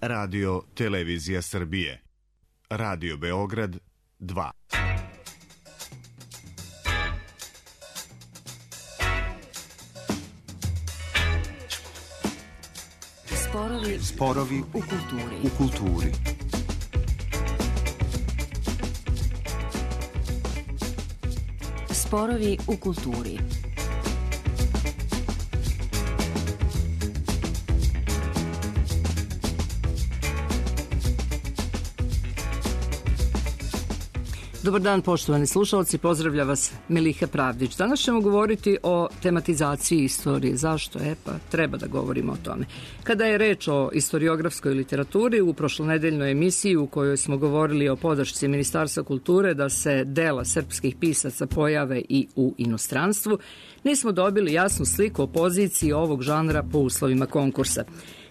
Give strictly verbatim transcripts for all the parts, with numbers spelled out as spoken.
Radio Televizija Srbije. Radio Beograd dva. Sporovi, Sporovi u kulturi. u kulturi. Sporovi u kulturi. Dobar dan, poštovani slušalci, pozdravlja vas Miliha Pravdić. Danas ćemo govoriti o tematizaciji istorije. Zašto? E pa, treba da govorimo o tome. Kada je reč o istoriografskoj literaturi, u prošlonedeljnoj emisiji u kojoj smo govorili o podršci Ministarstva kulture da se dela srpskih pisaca pojave i u inostranstvu, nismo dobili jasnu sliku o poziciji ovog žanra po uslovima konkursa.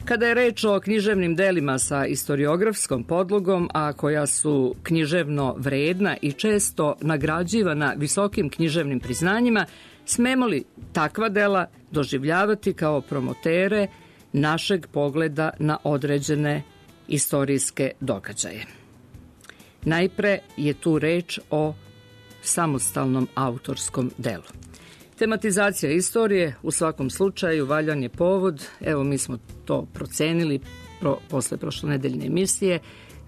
Kada je reč o književnim delima sa istoriografskom podlogom, a koja su književno vredna i često nagrađivana visokim književnim priznanjima, smemo li takva dela doživljavati kao promotere našeg pogleda na određene istorijske događaje? Najpre je tu reč o samostalnom autorskom delu. Tematizacija istorije u svakom slučaju valjan je povod, evo mi smo to procenili pro, posle prošlonedeljne emisije,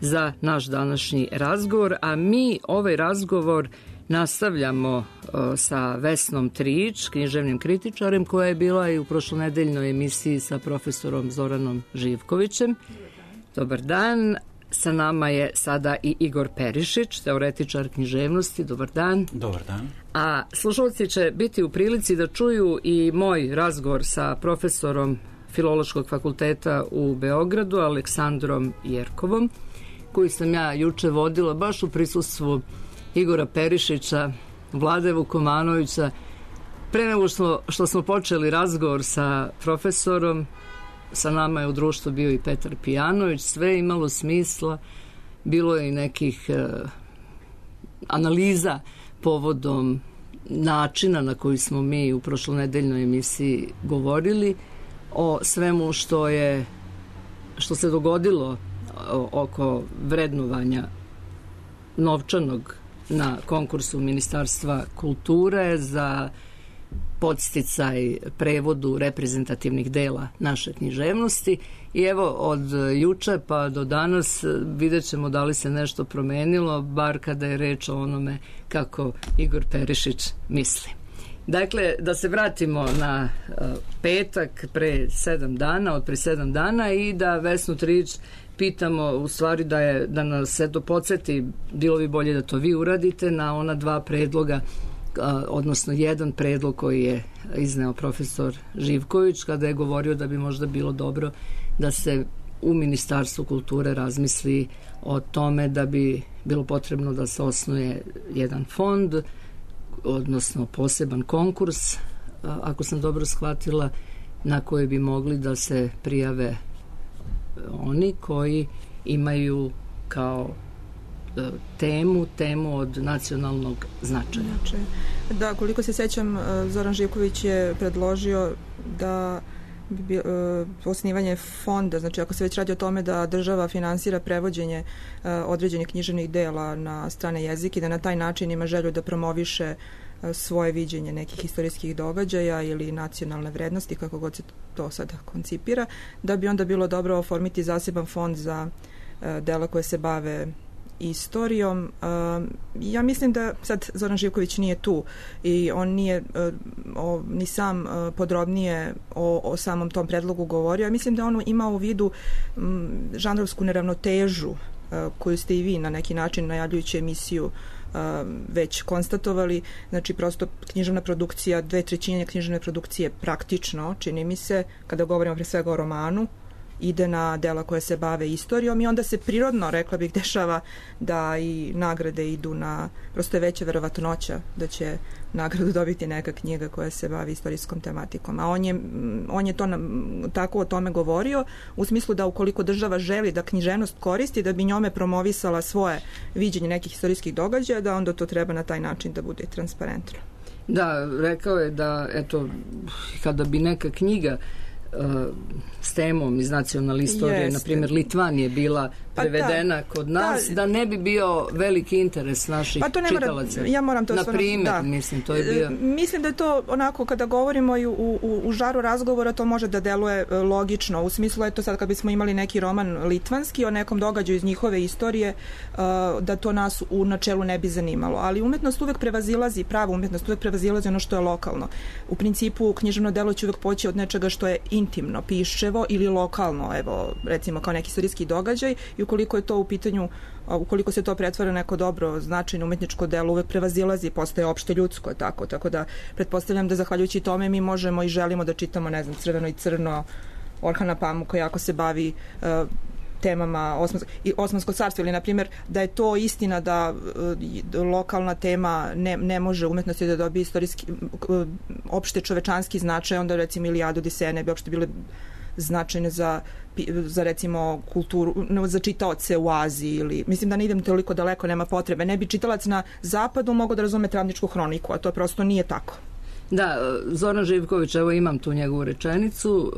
za naš današnji razgovor, a mi ovaj razgovor nastavljamo uh, sa Vesnom Trić, književnim kritičarem, koja je bila i u prošlonedeljnoj emisiji sa profesorom Zoranom Živkovićem. Dobar dan. Sa nama je sada i Igor Perišić, teoretičar književnosti. Dobar dan. Dobar dan. A slušalci će biti u prilici da čuju i moj razgovor sa profesorom Filološkog fakulteta u Beogradu, Aleksandrom Jerkovom, koji sam ja juče vodila baš u prisustvu Igora Perišića, Vlade Vukomanovića. Pre nego što, što smo počeli razgovor sa profesorom, sa nama je u društvu bio i Petar Pijanović, sve je imalo smisla, bilo je i nekih e, analiza povodom načina na koji smo mi u prošlonedeljnoj emisiji govorili o svemu što je što se dogodilo o, oko vrednovanja novčanog na konkursu Ministarstva kulture za podsticaj prevodu reprezentativnih dela naše književnosti. I evo od juče pa do danas vidjet ćemo da li se nešto promenilo, bar kada je reč o onome kako Igor Perišić misli. Dakle, da se vratimo na uh, petak pre sedam dana, od pre sedam dana i da Vesnu Trić pitamo, u stvari da, je, da nas se to podsjeti, bilo bi bolje da to vi uradite, na ona dva predloga, odnosno jedan predlog koji je izneo profesor Živković kada je govorio da bi možda bilo dobro da se u Ministarstvu kulture razmisli o tome da bi bilo potrebno da se osnuje jedan fond, odnosno poseban konkurs, ako sam dobro shvatila, na koje bi mogli da se prijave oni koji imaju kao temu, temu od nacionalnog značaja. Da, koliko se sećam, Zoran Živković je predložio da bi, uh, osnivanje fonda, znači ako se već radi o tome da država finansira prevođenje uh, određenih književnih dela na strane jezike, da na taj način ima želju da promoviše uh, svoje viđenje nekih istorijskih događaja ili nacionalne vrednosti, kako god se to sada koncipira, da bi onda bilo dobro oformiti zaseban fond za uh, dela koje se bave istorijom. Ja mislim da sad Zoran Živković nije tu i on nije o, ni sam podrobnije o, o samom tom predlogu govorio. Ja mislim da on ima u vidu m, žanrovsku neravnotežu koju ste i vi na neki način najavljujući emisiju već konstatovali. Znači prosto književna produkcija, dve trećine književne produkcije praktično, čini mi se, kada govorimo pre svega o romanu, ide na dela koje se bave istorijom i onda se prirodno, rekla bih, dešava da i nagrade idu na, prosto je veća verovatnoća da će nagradu dobiti neka knjiga koja se bavi istorijskom tematikom. A on je, on je to na, tako o tome govorio, u smislu da ukoliko država želi da književnost koristi, da bi njome promovisala svoje viđenje nekih istorijskih događaja, da onda to treba na taj način da bude transparentno. Da, rekao je da, eto, kada bi neka knjiga s temom iz nacionalne istorije, Jeste. na primjer Litvan je bila prevedena pa da, kod nas, da, da ne bi bio veliki interes naših pa to ne čitalaca. Mora, ja moram to na primjer, da. mislim, to je bio... Mislim da je to onako, kada govorimo i u, u, u žaru razgovora, to može da deluje logično. U smislu je to sad kad bismo imali neki roman litvanski o nekom događaju iz njihove istorije, da to nas u načelu ne bi zanimalo. Ali umetnost uvek prevazilazi, prava umetnost uvek prevazilazi ono što je lokalno. U principu, književno delo će uvek poći od nečega što je intimno, piševo ili lokalno, evo, recimo kao neki istorijski događaj, i ukoliko je to u pitanju, ukoliko se to pretvara neko dobro, značajno umetničko delo, uvek prevazilazi, postaje opšte ljudsko, tako, tako da pretpostavljam da zahvaljujući tome mi možemo i želimo da čitamo, ne znam, Crveno i crno, Orhana Pamuka, jako se bavi uh, temama Osmanskog, i Osmanskog carstva, ili na primjer da je to istina da uh, lokalna tema ne, ne može umetnosti da dobije istorijski uh, opšte čovečanski značaj, onda recimo Ilijadu, Odiseja ne bi opšte bile značajne za, za recimo kulturu, za čitaoce u Aziji, ili mislim da ne idem toliko daleko, nema potrebe. Ne bi čitalac na zapadu mogao da razume Travničku hroniku, a to prosto nije tako. Da, Zoran Živković, evo imam tu njegovu rečenicu,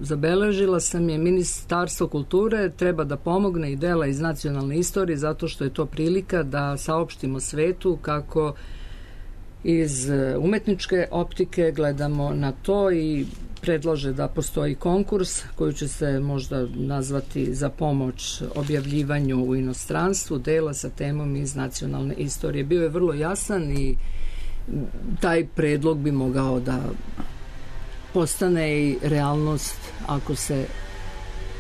zabeležila sam je: Ministarstvo kulture treba da pomogne i dela iz nacionalne istorije zato što je to prilika da saopštimo svetu kako iz umetničke optike gledamo na to, i predlaže da postoji konkurs koji će se možda nazvati za pomoć objavljivanju u inostranstvu dela sa temom iz nacionalne istorije. Bio je vrlo jasan i taj predlog bi mogao da postane i realnost ako se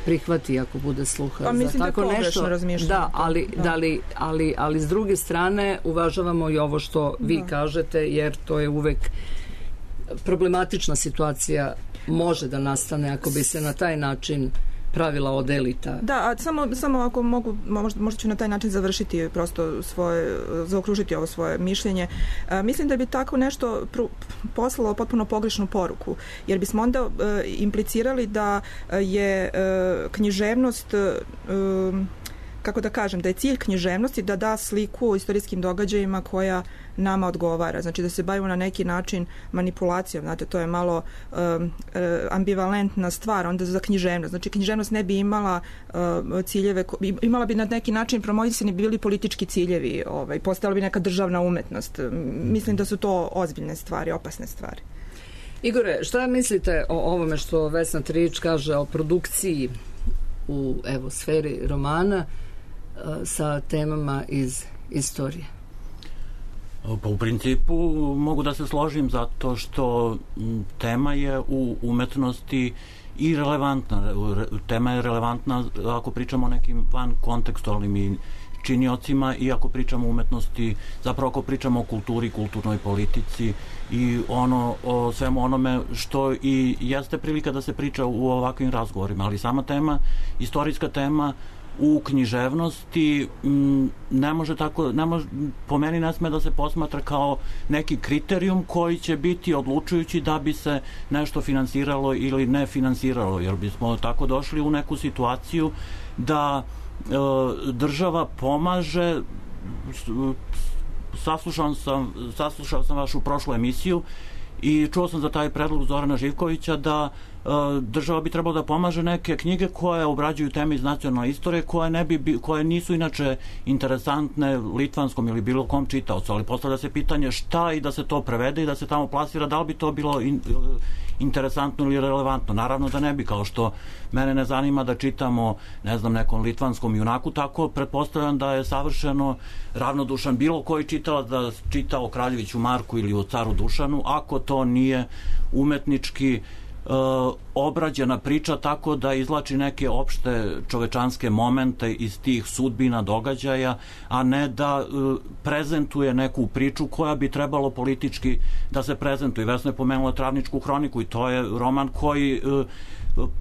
prihvati, ako bude sluha pa, za tako da nešto. Da, ali, da. Da li, ali, ali s druge strane uvažavamo i ovo što vi da. kažete, jer to je uvek problematična situacija, može da nastane ako bi se na taj način pravila od elita. Da, a samo, samo ako mogu, možda, možda ću na taj način završiti prosto svoje, zaokružiti ovo svoje mišljenje. A, mislim da bi tako nešto pr- poslalo potpuno pogrešnu poruku, jer bismo onda e, implicirali da je e, književnost e, kako da kažem, da je cilj književnosti da da sliku o istorijskim događajima koja nama odgovara. Znači da se bavimo na neki način manipulacijom. Znate, to je malo um, ambivalentna stvar onda za književnost. Znači književnost ne bi imala um, ciljeve, imala bi na neki način promovisani bi bili politički ciljevi, ovaj, postala bi neka državna umetnost. Mislim da su to ozbiljne stvari, opasne stvari. Igore, šta mislite o ovome što Vesna Trijić kaže o produkciji u evo sferi romana sa temama iz istorije? Pa u principu mogu da se složim zato što tema je u umetnosti i relevantna. Tema je relevantna ako pričamo o nekim van kontekstualnim činiocima i ako pričamo o umetnosti, zapravo ako pričamo o kulturi, kulturnoj politici i ono, o svemu onome što i jeste prilika da se priča u ovakvim razgovorima, ali sama tema, istorijska tema u književnosti m, ne može tako, ne može, po meni ne sme da se posmatra kao neki kriterijum koji će biti odlučujući da bi se nešto finansiralo ili ne finansiralo, jer bismo tako došli u neku situaciju da e, država pomaže. Saslušao sam, saslušao sam vašu prošlu emisiju i čuo sam za taj predlog Zorana Živkovića da e, država bi trebalo da pomaže neke knjige koje obrađuju teme iz nacionalne istorije koje, ne bi, koje nisu inače interesantne litvanskom ili bilo kom čitaocu, ali postavlja se pitanje šta i da se to prevede i da se tamo plasira, da li bi to bilo in, interesantno ili relevantno. Naravno da ne bi, kao što mene ne zanima da čitamo, ne znam, nekom litvanskom junaku, tako pretpostavljam da je savršeno ravnodušan bilo koji čitalac da čita o Kraljeviću Marku ili o caru Dušanu, ako to nije umetnički e, obrađena priča tako da izvlači neke opšte čovečanske momente iz tih sudbina događaja, a ne da e, prezentuje neku priču koja bi trebalo politički da se prezentuje. Vesna je pomenula Travničku hroniku i to je roman koji e,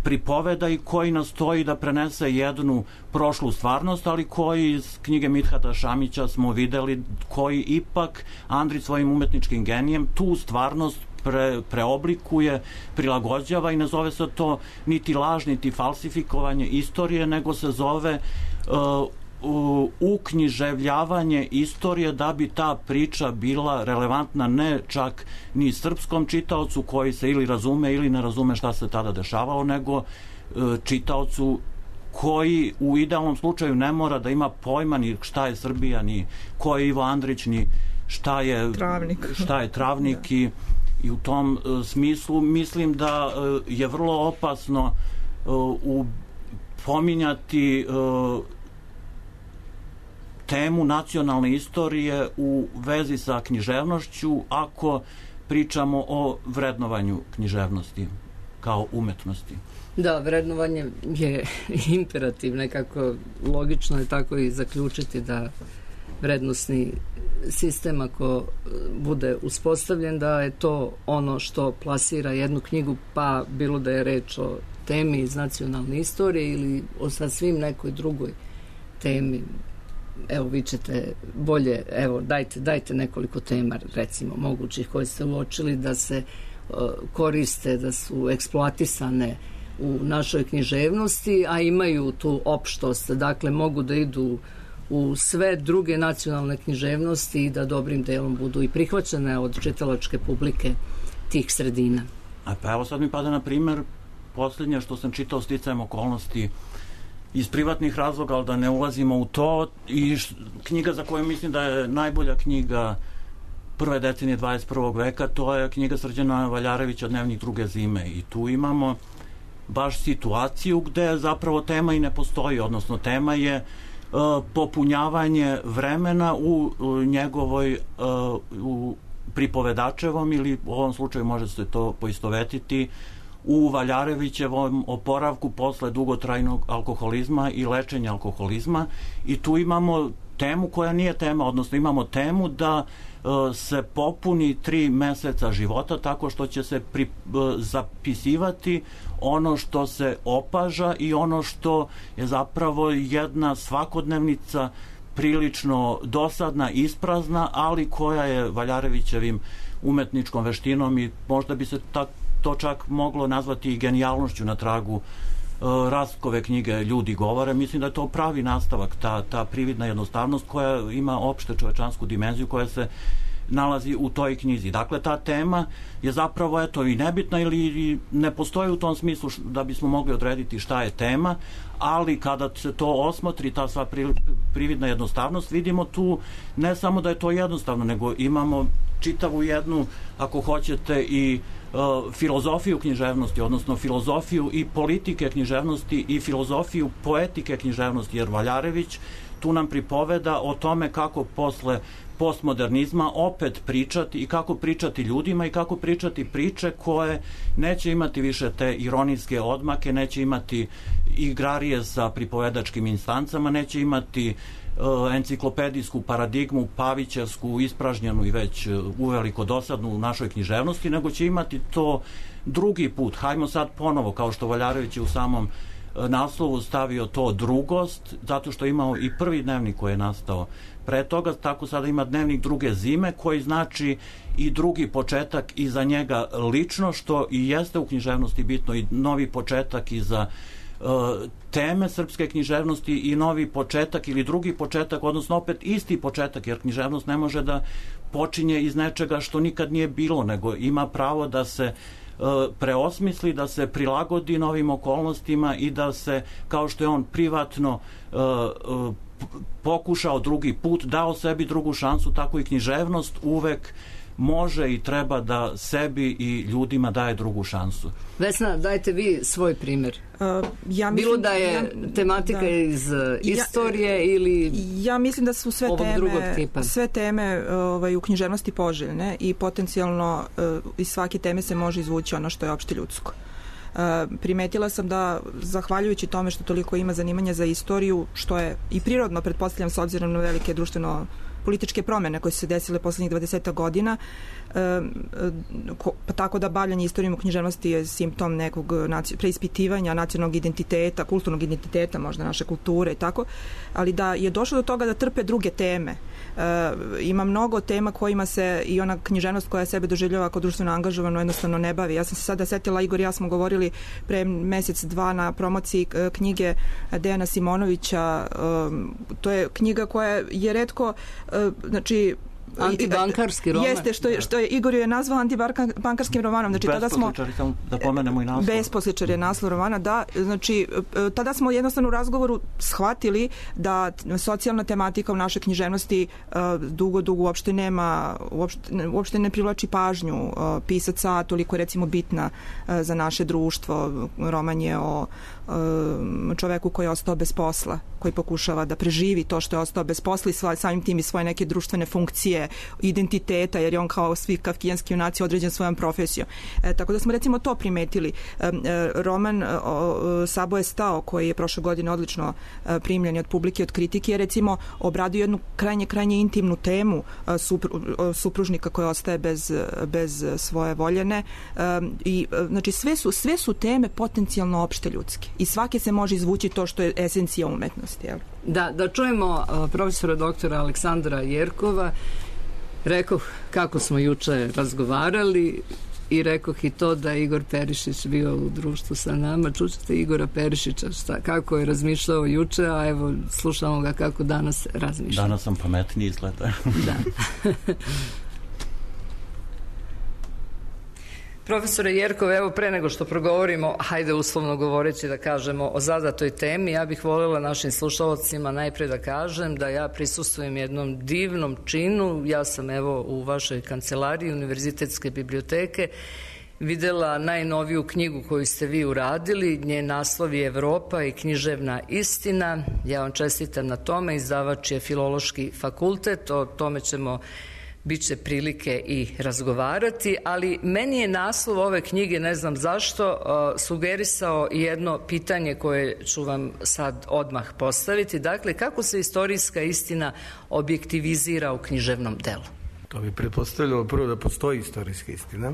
pripoveda i koji nastoji da prenese jednu prošlu stvarnost, ali koji iz knjige Midhata Šamića smo videli koji ipak Andrić svojim umetničkim genijem tu stvarnost pre, preoblikuje, prilagođava i ne zove se to niti laž, niti falsifikovanje istorije, nego se zove uh, uknjiževljavanje istorije da bi ta priča bila relevantna ne čak ni srpskom čitaocu koji se ili razume ili ne razume šta se tada dešavalo, nego čitaocu koji u idealnom slučaju ne mora da ima pojma ni šta je Srbija, ni ko je Ivo Andrić, ni šta je travnik, šta je travnik i, i u tom uh, smislu mislim da uh, je vrlo opasno uh, u pominjati uh, temu nacionalne istorije u vezi sa književnošću ako pričamo o vrednovanju književnosti kao umetnosti. Da, vrednovanje je imperativ, nekako logično je tako i zaključiti da vrednosni sistem ako bude uspostavljen da je to ono što plasira jednu knjigu, pa bilo da je reč o temi iz nacionalne istorije ili o sasvim nekoj drugoj temi. Evo, vi ćete bolje, evo, dajte, dajte nekoliko tema, recimo, mogućih koje ste uočili da se uh, koriste, da su eksploatisane u našoj književnosti, a imaju tu opštost, dakle mogu da idu u sve druge nacionalne književnosti i da dobrim delom budu i prihvaćene od čitalačke publike tih sredina. A pa evo sad mi pada na primer posljednje što sam čitao sticajem okolnosti iz privatnih razloga, ali da ne ulazimo u to, i š, knjiga za koju mislim da je najbolja knjiga prve decenije dvadeset prvog veka, to je knjiga Srđana Valjarevića Dnevnik druge zime, i tu imamo baš situaciju gde zapravo tema i ne postoji, odnosno tema je uh, popunjavanje vremena u, u njegovoj uh, u pripovedačevom, ili u ovom slučaju može se to poistovetiti u Valjarevićevom oporavku posle dugotrajnog alkoholizma i lečenja alkoholizma, i tu imamo temu koja nije tema, odnosno imamo temu da uh, se popuni tri meseca života tako što će se pri, uh, zapisivati ono što se opaža i ono što je zapravo jedna svakodnevnica prilično dosadna, isprazna, ali koja je Valjarevićevim umetničkom veštinom, i možda bi se tak, to čak moglo nazvati i genijalnošću na tragu uh, Rastkove knjige Ljudi govore. Mislim da je to pravi nastavak, ta, ta prividna jednostavnost koja ima opšte čovečansku dimenziju koja se nalazi u toj knjizi. Dakle, ta tema je zapravo eto i nebitna ili ne postoji u tom smislu da bismo mogli odrediti šta je tema, ali kada se to osmotri, ta sva prividna jednostavnost, vidimo tu ne samo da je to jednostavno, nego imamo čitavu jednu, ako hoćete, i uh, filozofiju književnosti, odnosno filozofiju i politike književnosti i filozofiju poetike književnosti, jer Valjarević tu nam pripoveda o tome kako posle postmodernizma opet pričati i kako pričati ljudima i kako pričati priče koje neće imati više te ironijske odmake, neće imati igrarije sa pripovedačkim instancama, neće imati uh, enciklopedijsku paradigmu pavićevsku, ispražnjenu i već uh, uveliko dosadnu u našoj književnosti, nego će imati to drugi put. Hajmo sad ponovo, kao što Valjarević je u samom uh, naslovu stavio to drugost, zato što je imao i prvi dnevnik koji je nastao pre toga, tako sada ima Dnevnik druge zime, koji znači i drugi početak i za njega lično, što i jeste u književnosti bitno, i novi početak i za uh, teme srpske književnosti, i novi početak ili drugi početak, odnosno opet isti početak, jer književnost ne može da počinje iz nečega što nikad nije bilo, nego ima pravo da se uh, preosmisli, da se prilagodi novim okolnostima i da se, kao što je on privatno uh, uh, pokušao drugi put, dao sebi drugu šansu, tako i književnost uvek može i treba da sebi i ljudima daje drugu šansu. Vesna, dajte vi svoj primjer. Uh, ja mislim, Bilo da je ja, tematika da, iz istorije ja, ili ja mislim da su sve teme, tipa. sve teme ovaj, u književnosti poželjne i potencijalno uh, iz svake teme se može izvući ono što je opšte ljudsko. Uh, primetila sam da, zahvaljujući tome što toliko ima zanimanja za istoriju, što je i prirodno, pretpostavljam, s obzirom na velike društveno političke promene koje su se desile poslednjih dvadeset godina, pa tako da bavljanje istorijom u književnosti je simptom nekog preispitivanja nacionalnog identiteta, kulturnog identiteta, možda naše kulture i tako, ali da je došlo do toga da trpe druge teme. Ima mnogo tema kojima se i ona književnost koja sebe doživljava kao društveno angažovano jednostavno ne bavi. Ja sam se sada setila, Igor i ja smo govorili pre mesec, dva na promociji knjige Dejana Simonovića. To je knjiga koja je retko, znači, antibankarski roman. Jeste, što je, što je Igor je nazvao antibankarskim romanom. Znači, tada smo, da pomenemo i naslov. Besposličar je naslov romana, da. Znači, tada smo jednostavno u razgovoru shvatili da socijalna tematika u našoj književnosti dugo, dugo uopšte nema, uopšte, uopšte ne privlači pažnju pisaca, toliko je recimo bitna za naše društvo. Roman je o čoveku koji je ostao bez posla, koji pokušava da preživi to što je ostao bez posla i samim tim i svoje neke društvene funkcije, identiteta, jer je on kao svi kafkijanski junaci određen svojom profesijom. E, tako da smo recimo to primetili. E, roman o, Sabo je stao, koji je prošle godine odlično e, primljen od publike, od kritike, je recimo obradio jednu krajnje, krajnje intimnu temu e, supru, supružnika koji ostaje bez, bez svoje voljene. E, i, e, znači sve su, sve su teme potencijalno opšte ljudske i svake se može izvući to što je esencija umetnosti. Jel? Da, da čujemo profesora doktora Aleksandra Jerkova. Rekoh kako smo juče razgovarali i rekoh i to da je Igor Perišić bio u društvu sa nama. Čućete Igora Perišića šta, kako je razmišljao juče, a evo slušamo ga kako danas razmišlja. Danas sam pametniji izgleda. Da. Profesore Jerkov, evo pre nego što progovorimo, hajde uslovno govoreći da kažemo o zadatoj temi, ja bih voljela našim slušalcima najpre da kažem da ja prisustvujem jednom divnom činu. Ja sam evo u vašoj kancelariji Univerzitetske biblioteke videla najnoviju knjigu koju ste vi uradili. Njen naslov je Evropa i književna istina. Ja vam čestitam na tome, izdavač je Filološki fakultet, o tome ćemo biće prilike i razgovarati, ali meni je naslov ove knjige, ne znam zašto, sugerisao jedno pitanje koje ću vam sad odmah postaviti. Dakle, kako se istorijska istina objektivizira u književnom delu? To bi pretpostavljalo prvo da postoji istorijska istina,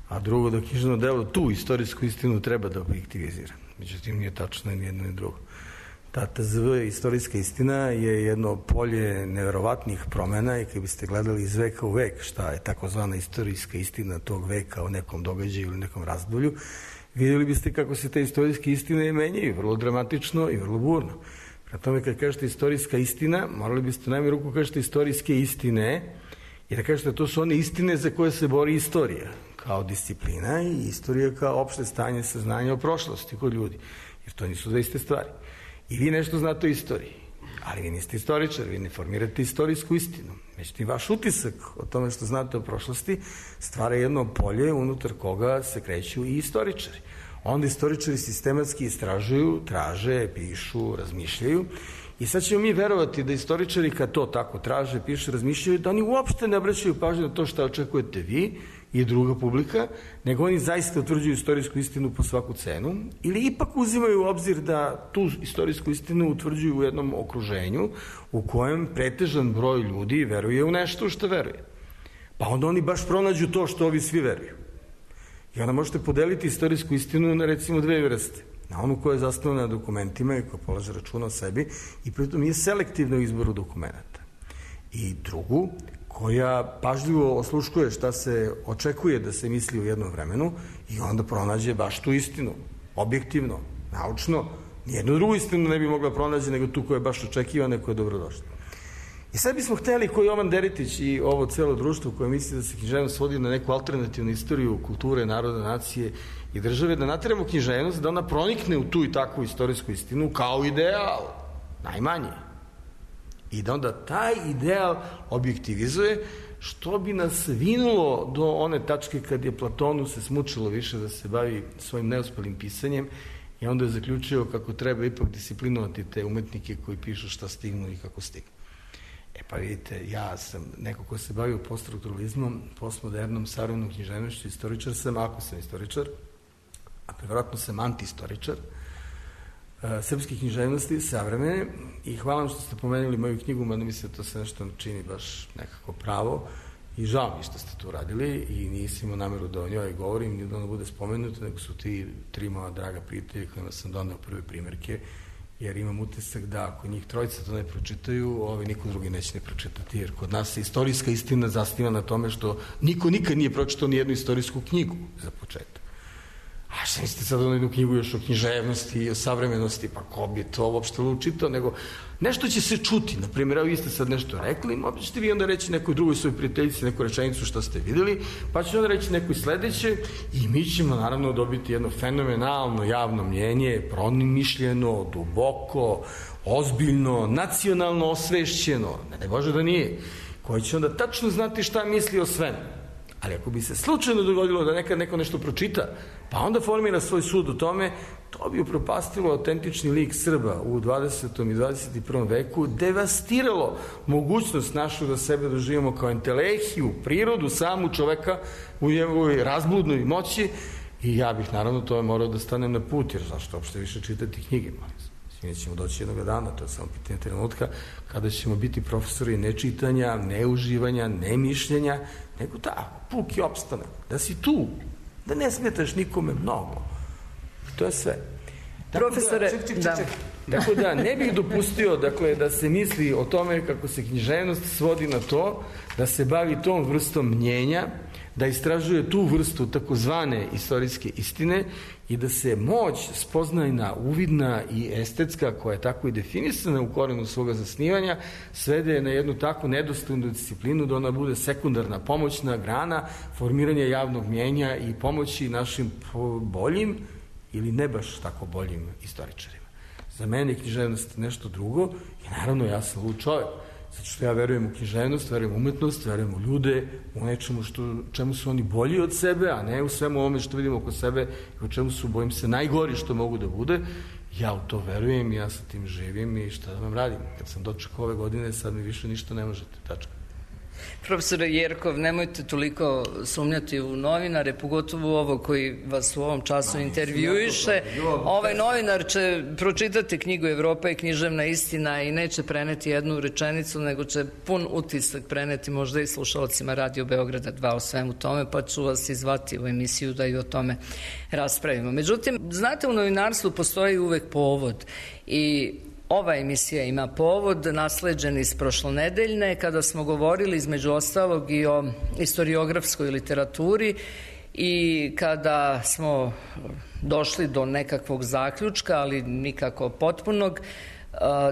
a drugo da književno delo tu istorijsku istinu treba da objektivizira. Međutim, nije tačno ni jedno ni drugo. Ta T Z V istorijska istina je jedno polje neverovatnih promena i kad biste gledali iz veka u vek šta je takozvana istorijska istina tog veka o nekom događaju ili nekom razdolju, vidjeli biste kako se te istorijske istine menjaju, vrlo dramatično i vrlo burno. Prema tome, kad kažete istorijska istina, morali biste u najmanju ruku kažete istorijske istine, jer da kažete to su one istine za koje se bori istorija kao disciplina i istorija kao opšte stanje saznanja o prošlosti kod ljudi, jer to nisu dve iste stvari. I vi nešto znate o istoriji, ali vi niste istoričar, vi ne formirate istorijsku istinu. Međutim, vaš utisak o tome što znate o prošlosti stvara jedno polje unutar koga se kreću i istoričari. Onda istoričari sistematski istražuju, traže, pišu, razmišljaju. I sad ćemo mi verovati da istoričari kad to tako traže, pišu, razmišljaju, da oni uopšte ne obraćaju pažnju na to što očekujete vi i druga publika, nego oni zaista utvrđuju istorijsku istinu po svaku cenu, ili ipak uzimaju u obzir da tu istorijsku istinu utvrđuju u jednom okruženju u kojem pretežan broj ljudi veruje u nešto što veruje. Pa onda oni baš pronađu to što ovi svi veruju. I onda možete podeliti istorijsku istinu na recimo dve vrste. Na onu koja je zasnovana na dokumentima i koja polaže računa o sebi i pritom je selektivno izboru dokumenta. I drugu, koja pažljivo osluškuje šta se očekuje da se misli u jednom vremenu i onda pronađe baš tu istinu, objektivno, naučno. Nijednu drugu istinu ne bi mogla pronađe nego tu koja je baš očekivana i koja je dobrodošla. I sad bismo hteli, koji Jovan Deritić i ovo celo društvo koje misli da se književnost svodi na neku alternativnu istoriju kulture, naroda, nacije i države, da nateramo književnost da ona pronikne u tu i takvu istorijsku istinu kao ideal, najmanje. I da onda taj ideal objektivizuje, što bi nas vinulo do one tačke kad je Platonu se smučilo više da se bavi svojim neuspelim pisanjem i onda je zaključio kako treba ipak disciplinovati te umetnike koji pišu šta stignu i kako stignu. E pa vidite, ja sam neko ko se bavio poststrukturalizmom, postmodernom, savremenom književnošću, istoričar sam, ako sam istoričar, a prevratno sam antiistoričar, srpske književnosti, savremene, i hvala vam što ste pomenuli moju knjigu, mada mi se to sve nešto čini baš nekako pravo i žao mi što ste to uradili i nisam imao nameru da o njoj govorim, ni da ona bude spomenuta, nego su ti tri moja draga prijatelji kojima sam doneo prve primjerke, jer imam utisak da ako njih trojica to ne pročitaju, ovi niko drugi neće ne pročitati, jer kod nas se istorijska istina zasniva na tome što niko nikad nije pročitao ni jednu istorijsku knjigu za početak. A šta mislite sad ono jednu knjigu još o književnosti i o savremenosti, pa ko bi to uopšte učitao, nego nešto će se čuti, na primjer, evo vi ste sad nešto rekli, možda ćete vi onda reći nekoj drugoj svojoj prijateljici neku rečenicu što ste vidjeli, pa će onda reći nekoj sledeće i mi ćemo naravno dobiti jedno fenomenalno javno mnjenje, promišljeno, duboko, ozbiljno, nacionalno osvešćeno, ne daj Bože da nije, koji će onda tačno znati šta misli o svemu. Ali ako bi se slučajno dogodilo da nekad neko nešto pročita, pa onda formira svoj sud o tome, to bi upropastilo autentični lik Srba u dvadesetom i dvadeset i prvom veku, devastiralo mogućnost našu da sebe doživimo kao entelehiju, prirodu, samu čoveka u njegovoj razbludnoj moći i ja bih naravno tome morao da stanem na put, jer zašto uopšte više čitati knjige, molim. Mi ćemo doći jednog dana, to je samo pitanje trenutka, kada ćemo biti profesori nečitanja, neuživanja, nemišljenja, nego tako, puki opstanak, da si tu, da ne smetaš nikome mnogo. To je sve. Profesore, ček, ček, ček, da. ček. Tako da ne bih dopustio dakle, da se misli o tome kako se književnost svodi na to, da se bavi tom vrstom mnjenja, da istražuje tu vrstu takozvane istorijske istine i da se moć spoznajna, uvidna i estetska, koja je tako i definisana u korenu svoga zasnivanja, svede na jednu takvu nedostojnu disciplinu da ona bude sekundarna, pomoćna grana formiranja javnog mnjenja i pomoći našim boljim ili ne baš tako boljim istoričarima. Za mene je književnost nešto drugo i naravno ja sam lud čovjek. Zato što ja verujem u književnost, verujem u umetnost, verujem u ljude, u nečemu što, čemu su oni bolji od sebe, a ne u svemu ovome što vidimo oko sebe i u čemu su, bojim se, najgori što mogu da bude. Ja u to verujem, ja sa tim živim i šta da vam radim. Kad sam dočekao ove godine, sad mi više ništa ne možete, tačka. Profesore Jerkov, nemojte toliko sumnjati u novinare, pogotovo ovo koji vas u ovom času intervjuiše. Ovaj novinar će pročitati knjigu Evropa i književna istina i neće preneti jednu rečenicu, nego će pun utisak preneti možda i slušalcima Radio Beograda dva o svemu tome, pa ću vas izvati u emisiju da i o tome raspravimo. Međutim, znate, u novinarstvu postoji uvek povod i ova emisija ima povod, nasleđen iz prošlonedeljne, kada smo govorili između ostalog i o istoriografskoj literaturi i kada smo došli do nekakvog zaključka, ali nikako potpunog,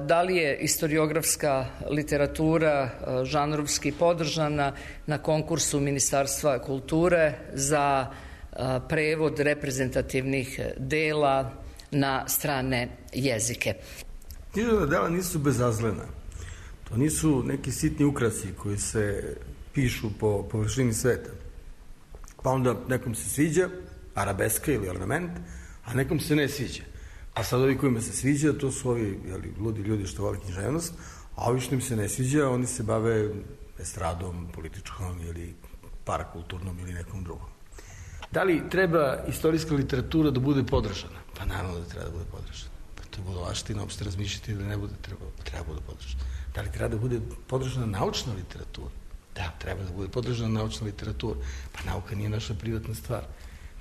da li je istoriografska literatura žanrovski podržana na konkursu Ministarstva kulture za prevod reprezentativnih dela na strane jezike. Književna dela nisu bezazlena. To nisu neki sitni ukrasi koji se pišu po površini sveta. Pa onda nekom se sviđa, arabeska ili ornament, a nekom se ne sviđa. A sad ovi kojima se sviđa, to su ovi jeli, ludi ljudi što vole književnost, a ovi što im se ne sviđa, oni se bave estradom, političkom ili parakulturnom ili nekom drugom. Da li treba istorijska literatura da bude podržana? Pa naravno da treba da bude podržana. To je budalaština, uopšte razmišljati da ne bude treba, treba bude podržana. Da li treba da bude podržana naučna literatura? Da, treba da bude podržana naučna literatura. Pa nauka nije naša privatna stvar.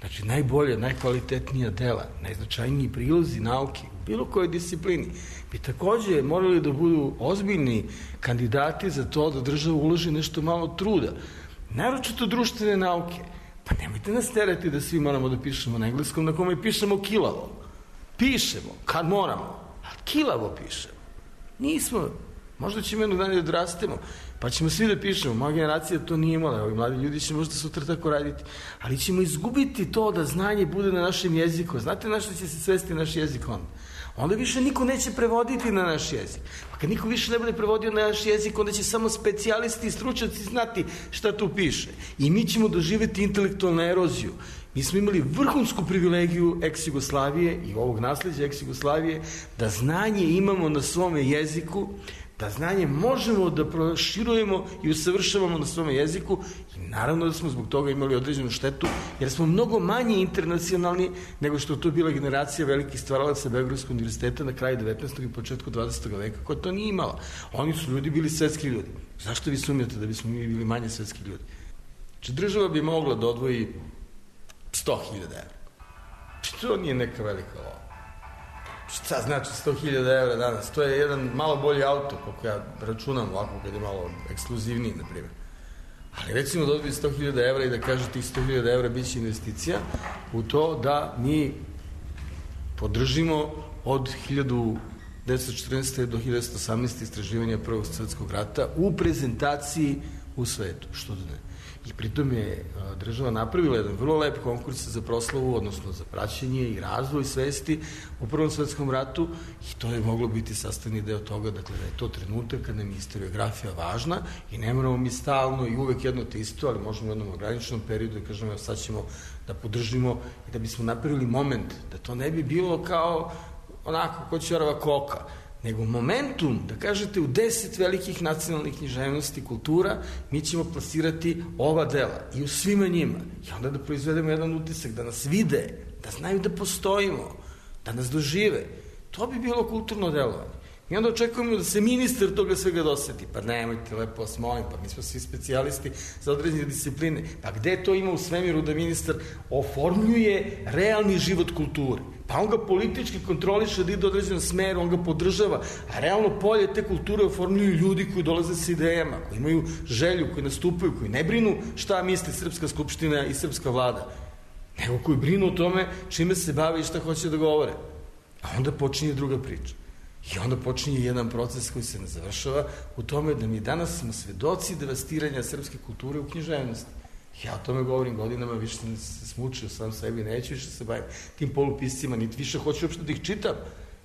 Znači, najbolje, najkvalitetnija dela, najznačajniji prilozi nauke u bilo kojoj disciplini bi takođe morali da budu ozbiljni kandidati za to da država uloži nešto malo truda. Naročito društvene nauke. Pa nemojte nas terati da svi moramo da pišemo na engleskom, na kome pišemo kilavo. Pišemo, kad moramo, a kilavo pišemo. Nismo, možda ćemo jednog dana da odrastemo, pa ćemo svi da pišemo. Moja generacija to nije imala, ovi mladi ljudi će možda sutra tako raditi, ali ćemo izgubiti to da znanje bude na našem jeziku. Znate na što će se svesti naš jezik onda? Onda više niko neće prevoditi na naš jezik. Pa kad niko više ne bude prevodio na naš jezik, onda će samo specijalisti i stručnjaci znati šta tu piše. I mi ćemo doživjeti intelektualnu eroziju. Mi smo imali vrhunsku privilegiju ex-Jugoslavije i ovog nasljeđa ex-Jugoslavije da znanje imamo na svome jeziku, da znanje možemo da proširujemo i usavršavamo na svome jeziku i naravno da smo zbog toga imali određenu štetu, jer smo mnogo manje internacionalni nego što to bila generacija velikih stvaralaca Beogradskog univerziteta na kraju devetnaestog i početku dvadesetog veka, koja to nije imala. Oni su ljudi bili svetski ljudi. Zašto vi sumnjate da bismo mi bili manje svetski ljudi? Znači, država bi mogla da odvoji sto hiljada evra. To nije neka velika lova. Šta znači sto hiljada evra danas? To je jedan malo bolji auto, kako ja računam ovako kad je malo ekskluzivniji, na primjer. Ali recimo da odvoji sto hiljada evra i da kaže tih sto hiljada evra bit će investicija u to da mi podržimo od hiljadu devetsto četrnaeste. do hiljadu devetsto osamnaeste. istraživanja Prvog svetskog rata u prezentaciji u svetu, što da ne. I pritom je država napravila jedan vrlo lep konkurs za proslavu, odnosno za praćenje i razvoj svesti u Prvom svetskom ratu i to je moglo biti sastavni deo toga, dakle da je to trenutak kada nam je historiografija važna i ne moramo mi stalno i uvek jedno te isto, ali možemo u jednom ograničenom periodu da kažemo evo sad ćemo da podržimo i da bismo napravili moment, da to ne bi bilo kao onako ko ćorava koka, nego momentum, da kažete, u deset velikih nacionalnih književnosti, kultura, mi ćemo plasirati ova dela i u svima njima. I onda da proizvedemo jedan utisak, da nas vide, da znaju da postojimo, da nas dožive. To bi bilo kulturno delovanje. I onda očekujemo da se ministar toga svega doseti. Pa nemojte, lepo vas molim, pa mi smo svi specijalisti za određene discipline. Pa gde to ima u svemiru da ministar oformljuje realni život kulture? Pa on ga politički kontroliše da ide u određenom smeru, on ga podržava, a realno polje te kulture oformljuju ljudi koji dolaze sa idejama, koji imaju želju, koji nastupaju, koji ne brinu šta misli Srpska skupština i Srpska vlada, nego koji brinu o tome čime se bave i šta hoće da govore. A onda počinje druga priča. I onda počinje jedan proces koji se ne završava u tome da mi danas smo svedoci devastiranja srpske kulture u književnosti. Ja o tome govorim godinama, više sam se smučio sam sebi, neću više se bavim tim polupiscima, niti više hoću uopšte da ih čitam.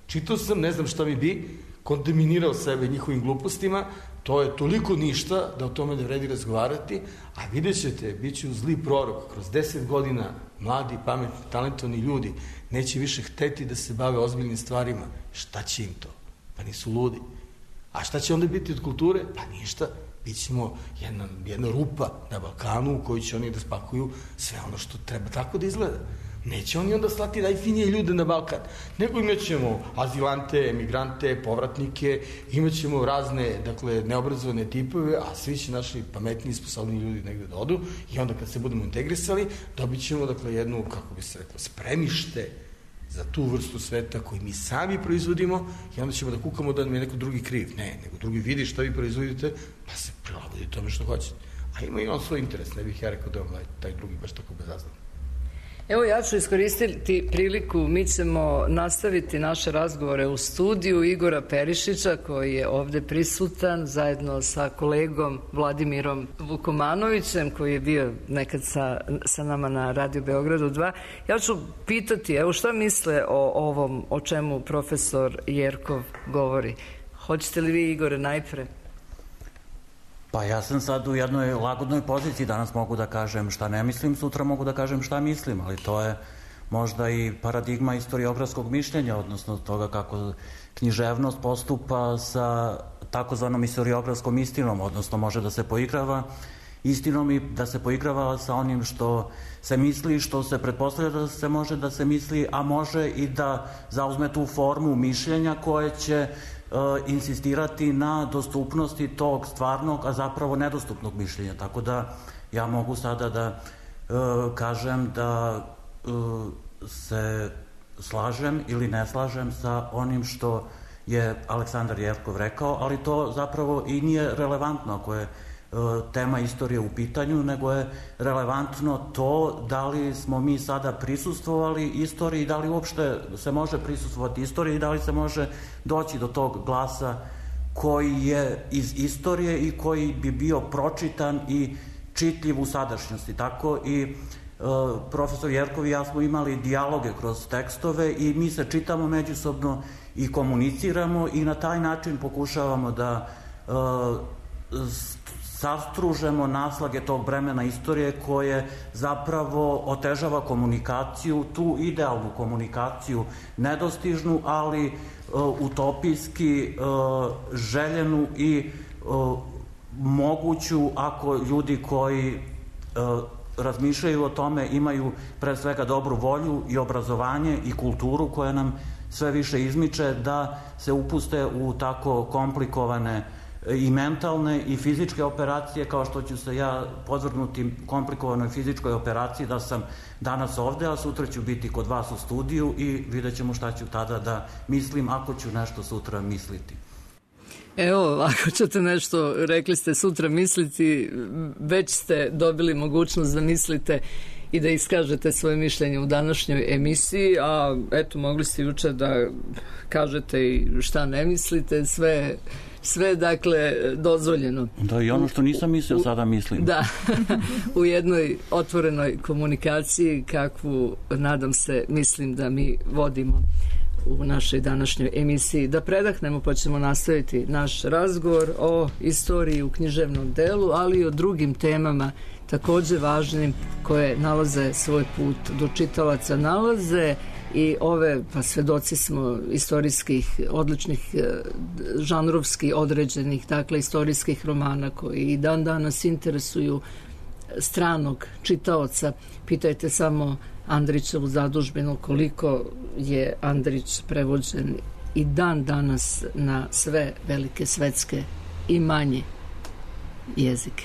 Čitao sam, ne znam šta mi bi, kontaminirao sebe njihovim glupostima, to je toliko ništa da o tome ne vredi razgovarati, a vidjet ćete, bit će u zli prorok, kroz deset godina mladi, pametni, talentovani ljudi neće više hteti da se bave ozbiljnim stvarima. Šta će im to? Pa nisu ludi. A šta će onda biti od kulture? Pa ništa. Bićemo jedna, jedna rupa na Balkanu u kojoj će oni da spakuju sve ono što treba tako da izgleda. Neće oni onda slati najfinije ljude na Balkan, nego imat ćemo azilante, emigrante, povratnike, imat ćemo razne, dakle, neobrazovane tipove, a svi će naši pametni i sposobni ljudi negde da odu i onda kad se budemo integrisali, dobit ćemo, dakle, jednu, kako bi se rekla, spremište za tu vrstu sveta koji mi sami proizvodimo i onda ćemo da kukamo da nam je neko drugi kriv. Ne, nego drugi vidi šta vi proizvodite, pa se prilagodi tome što hoćete. A ima i on svoj interes, ne bih ja rekao da on taj drugi baš tako bezazlan. Evo, ja ću iskoristiti priliku, mi ćemo nastaviti naše razgovore u studiju Igora Perišića, koji je ovde prisutan, zajedno sa kolegom Vladimirom Vukomanovićem, koji je bio nekad sa, sa nama na Radio Beogradu dva. Ja ću pitati, evo, šta misle o ovom, o čemu profesor Jerkov govori? Hoćete li vi, Igore, najpre? Pa ja sam sad u jednoj lagodnoj poziciji, danas mogu da kažem šta ne mislim, sutra mogu da kažem šta mislim, ali to je možda i paradigma istoriografskog mišljenja, odnosno toga kako književnost postupa sa takozvanom istoriografskom istinom, odnosno može da se poigrava istinom i da se poigrava sa onim što se misli, što se pretpostavlja da se može da se misli, a može i da zauzme tu formu mišljenja koje će insistirati na dostupnosti tog stvarnog, a zapravo nedostupnog mišljenja. Tako da ja mogu sada da uh, kažem da uh, se slažem ili ne slažem sa onim što je Aleksandar Jerkov rekao, ali to zapravo i nije relevantno ako je uh, tema istorije u pitanju, nego je relevantno to da li smo mi sada prisustvovali istoriji, da li uopšte se može prisustvovati istoriji i da li se može doći do tog glasa koji je iz istorije i koji bi bio pročitan i čitljiv u sadašnjosti. Tako i uh, profesor Jerkov i ja smo imali dijaloge kroz tekstove i mi se čitamo međusobno i komuniciramo i na taj način pokušavamo da uh, sastružemo naslage tog bremena istorije koje zapravo otežava komunikaciju, tu idealnu komunikaciju, nedostižnu, ali uh, utopijski uh, željenu i uh, moguću ako ljudi koji uh, razmišljaju o tome imaju pre svega dobru volju i obrazovanje i kulturu koja nam sve više izmiče da se upuste u tako komplikovane i mentalne i fizičke operacije, kao što ću se ja podvrgnuti komplikovanoj fizičkoj operaciji da sam danas ovde, a sutra ću biti kod vas u studiju i vidjet ćemo šta ću tada da mislim, ako ću nešto sutra misliti. Evo, ako ćete nešto, rekli ste, sutra misliti, već ste dobili mogućnost da mislite i da iskažete svoje mišljenje u današnjoj emisiji, a eto, mogli ste juče da kažete i šta ne mislite, sve, sve dakle, dozvoljeno. Da, i ono što nisam mislio, sada mislim. Da, u jednoj otvorenoj komunikaciji, kakvu, nadam se, mislim da mi vodimo u našoj današnjoj emisiji. Da predahnemo, pa ćemo nastaviti naš razgovor o istoriji u književnom delu, ali i o drugim temama takođe važnim koje nalaze svoj put do čitalaca, nalaze i ove, pa svedoci smo istorijskih, odličnih žanrovski određenih, dakle istorijskih romana koji i dan danas interesuju stranog čitaoca. Pitajte samo Andrićevu zadužbinu koliko je Andrić prevođen i dan danas na sve velike svetske i manje jezike.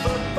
Fast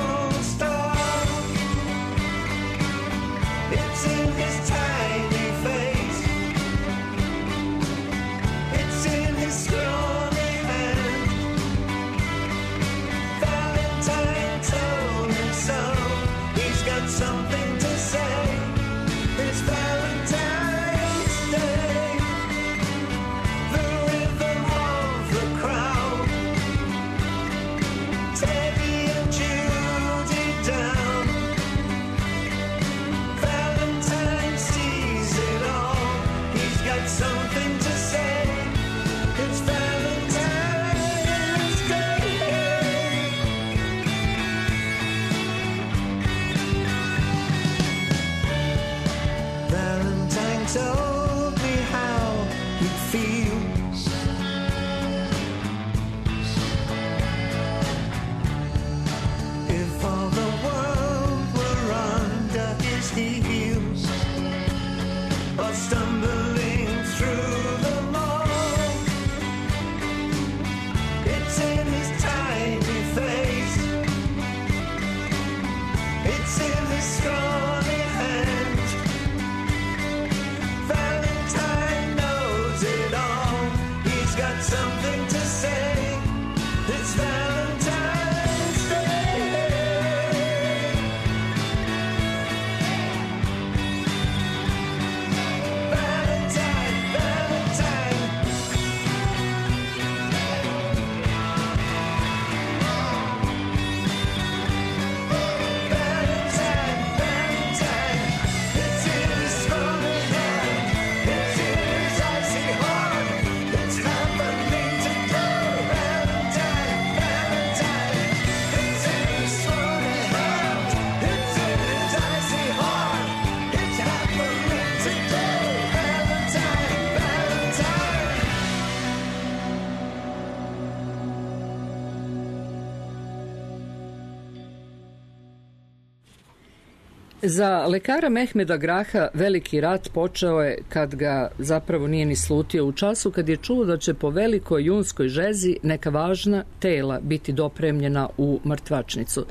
Za lekara Mehmeda Graha veliki rat počeo je kad ga zapravo nije ni slutio u času kad je čuo da će po velikoj junskoj žezi neka važna tela biti dopremljena u mrtvačnicu.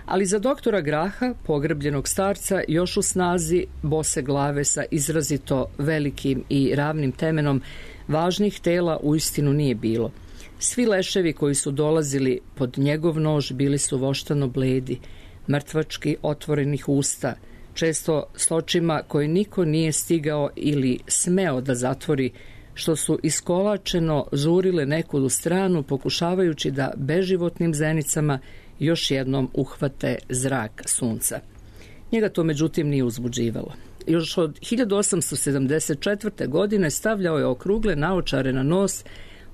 Ali za doktora Graha, pogrbljenog starca, još u snazi bose glave sa izrazito velikim i ravnim temenom, važnih tela uistinu nije bilo. Svi leševi koji su dolazili pod njegov nož bili su voštano bledi, mrtvački otvorenih usta, često s očima koje niko nije stigao ili smeo da zatvori, što su iskolačeno žurile nekud u stranu, pokušavajući da beživotnim zenicama još jednom uhvate zrak sunca. Njega to međutim nije uzbuđivalo. Još od hiljadu osamsto sedamdeset četvrte. godine stavljao je okrugle naočare na nos,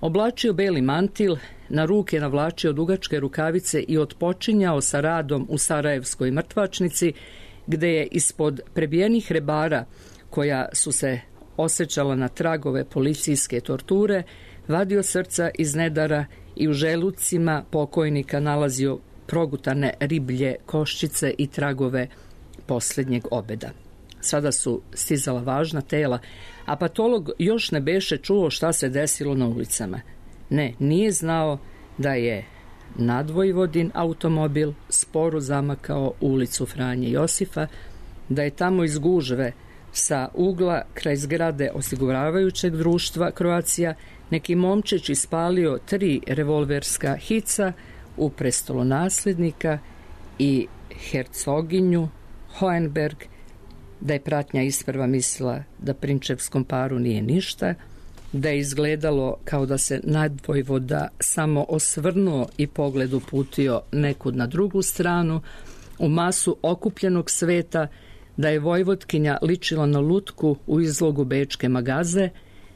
oblačio beli mantil, na ruke navlačio dugačke rukavice i otpočinjao sa radom u Sarajevskoj mrtvačnici, gde je ispod prebijenih rebara, koja su se osjećala na tragove policijske torture, vadio srca iz nedara i u želucima pokojnika nalazio progutane riblje koščice i tragove posljednjeg obeda. Sada su stizala važna tela, a patolog još ne beše čuo šta se desilo na ulicama. Ne, nije znao da je nadvojvodin automobil sporo zamakao ulicu Franje Josifa, da je tamo iz gužve sa ugla kraj zgrade osiguravajućeg društva Croatia neki momčić ispalio tri revolverska hica u prestolonaslednika i hercoginju Hohenberg, da je pratnja isprva mislila da prinčevskom paru nije ništa, da je izgledalo kao da se nadvojvoda samo osvrnuo i pogled uputio nekud na drugu stranu, u masu okupljenog sveta, da je vojvodkinja ličila na lutku u izlogu bečke magaze,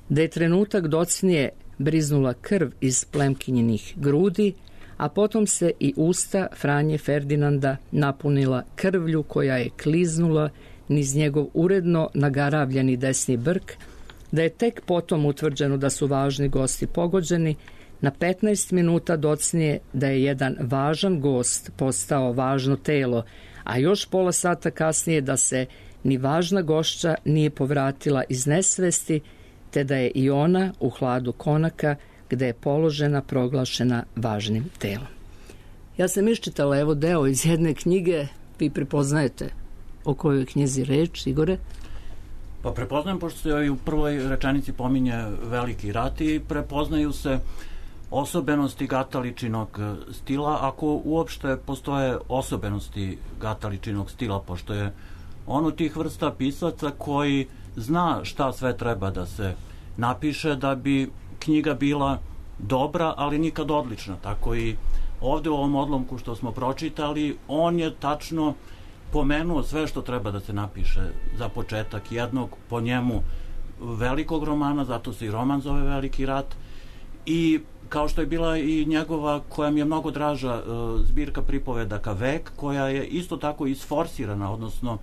da je trenutak docnije briznula krv iz plemkinjenih grudi, a potom se i usta Franje Ferdinanda napunila krvlju koja je kliznula niz njegov uredno nagaravljeni desni brk, da je tek potom utvrđeno da su važni gosti pogođeni, na petnaest minuta docnije da je jedan važan gost postao važno telo, a još pola sata kasnije da se ni važna gošća nije povratila iz nesvesti, te da je i ona u hladu konaka, gde je položena proglašena važnim telom. Ja sam iščitala evo deo iz jedne knjige, vi prepoznajete o kojoj knjizi reč, Igore? Pa prepoznajem, pošto se i u prvoj rečenici pominje veliki rat i prepoznaju se osobenosti Gataličinog stila, ako uopšte postoje osobenosti Gataličinog stila, pošto je on od tih vrsta pisaca koji zna šta sve treba da se napiše da bi knjiga bila dobra, ali nikad odlična. Tako i ovde u ovom odlomku što smo pročitali, on je tačno pomenuo sve što treba da se napiše za početak jednog, po njemu, velikog romana, zato se i roman zove Veliki rat, i kao što je bila i njegova, koja mi je mnogo draža, zbirka pripovedaka Vek, koja je isto tako isforsirana, odnosno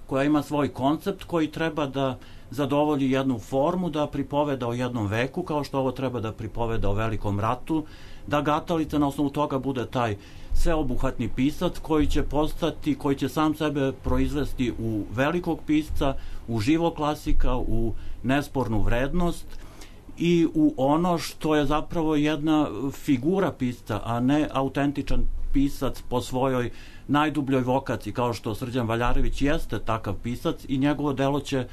koja ima svoj koncept koji treba da zadovolji jednu formu, da pripoveda o jednom veku, kao što ovo treba da pripoveda o velikom ratu, da Gatalica na osnovu toga bude taj sveobuhvatni pisac koji će postati, koji će sam sebe proizvesti u velikog pisca, u živog klasika, u nespornu vrednost i u ono što je zapravo jedna figura pisca, a ne autentičan pisac po svojoj najdubljoj vokaciji, kao što Srđan Valjarević jeste takav pisac i njegovo delo će,